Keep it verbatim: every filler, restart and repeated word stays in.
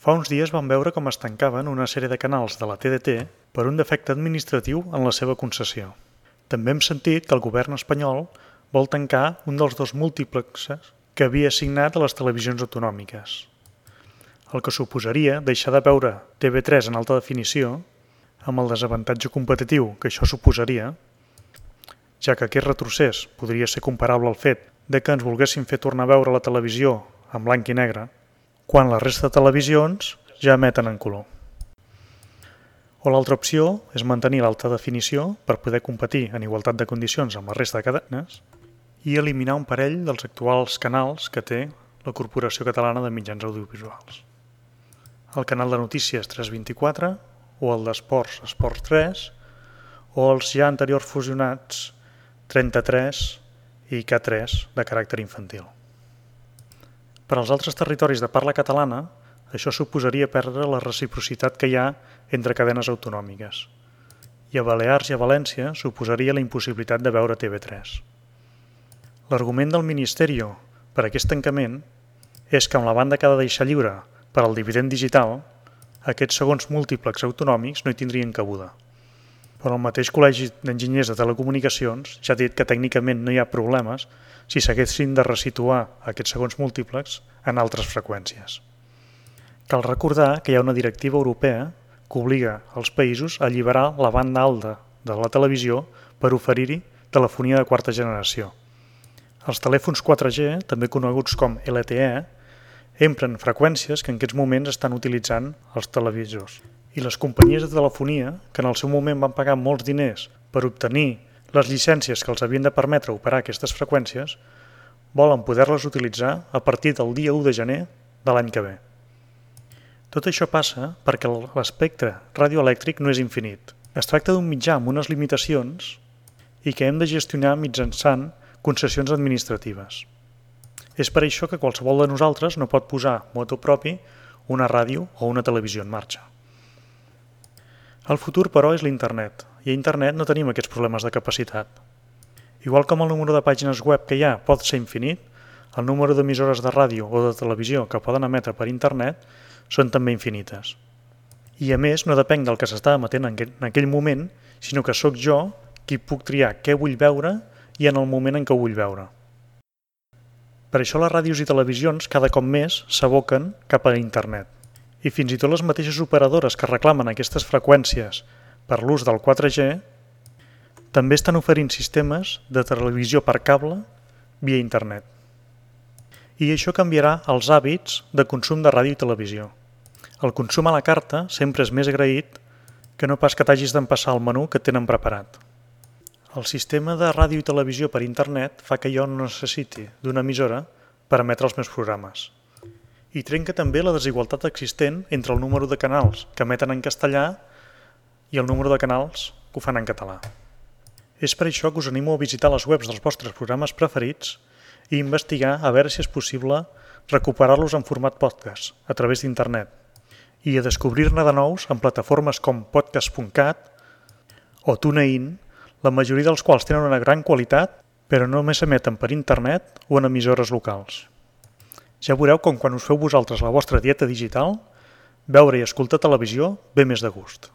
Fa uns dies vam veure com es tancaven una sèrie de canals de la T D T per un defecte administratiu en la seva concessió. També hem sentit que el govern espanyol vol tancar un dels dos múltiplexes que havia assignat a les televisions autonòmiques, el que suposaria deixar de veure T V tres en alta definició, amb el desavantatge competitiu que això suposaria, ja que aquest retrocés podria ser comparable al fet de que ens volguessin fer tornar a veure la televisió en blanc i negre, quan la resta de televisions ja emeten en color. O l'altra opció és mantenir l'alta definició per poder competir en igualtat de condicions amb la resta de cadenes i eliminar un parell dels actuals canals que té la Corporació Catalana de Mitjans Audiovisuals. El canal de notícies tres vint-i-quatre o el d'esports Esports tres o els ja anteriors fusionats trenta-tres i K tres de caràcter infantil. Per als altres territoris de parla catalana, això suposaria perdre la reciprocitat que hi ha entre cadenes autonòmiques. I a Balears i a València suposaria la impossibilitat de veure T V tres. L'argument del Ministeri per a aquest tancament és que amb la banda que ha de deixar lliure per al dividend digital, aquests segons múltiplex autonòmics no hi tindrien cabuda. Però el mateix Col·legi d'Enginyers de Telecomunicacions ja ha dit que tècnicament no hi ha problemes si s'haguessin de resituar aquests segons múltiplex en altres freqüències. Cal recordar que hi ha una directiva europea que obliga els països a alliberar la banda alta de la televisió per oferir-hi telefonia de quarta generació. Els telèfons quatre G, també coneguts com L T E, empren freqüències que en aquests moments estan utilitzant els televisors. I les companyies de telefonia, que en el seu moment van pagar molts diners per obtenir les llicències que els havien de permetre operar aquestes freqüències, volen poder-les utilitzar a partir del dia u de gener de l'any que ve. Tot això passa perquè l'espectre radioelèctric no és infinit. Es tracta d'un mitjà amb unes limitacions i que hem de gestionar mitjançant concessions administratives. És per això que qualsevol de nosaltres no pot posar motu propi una ràdio o una televisió en marxa. El futur, però, és l'internet, i a internet no tenim aquests problemes de capacitat. Igual com el número de pàgines web que hi ha pot ser infinit, el número d'emissores de ràdio o de televisió que poden emetre per internet són també infinites. I a més no depèn del que s'està emetent en aquell moment, sinó que sóc jo qui puc triar què vull veure i en el moment en què ho vull veure. Per això les ràdios i televisions cada cop més s'aboquen cap a internet. I fins i tot les mateixes operadores que reclamen aquestes freqüències per l'ús del quatre G també estan oferint sistemes de televisió per cable via internet. I això canviarà els hàbits de consum de ràdio i televisió. El consum a la carta sempre és més agraït que no pas que t'hagis d'empassar el menú que tenen preparat. El sistema de ràdio i televisió per internet fa que jo no necessiti d'una emissora per emetre els meus programes. I trenca també la desigualtat existent entre el número de canals que emeten en castellà i el número de canals que ho fan en català. És per això que us animo a visitar les webs dels vostres programes preferits i investigar a veure si és possible recuperar-los en format podcast a través d'internet i a descobrir-ne de nous en plataformes com podcast punt cat o TuneIn, la majoria dels quals tenen una gran qualitat però només s'emeten per internet o en emissores locals. Ja veureu com quan us feu vosaltres la vostra dieta digital, veure i escoltar televisió ve més de gust.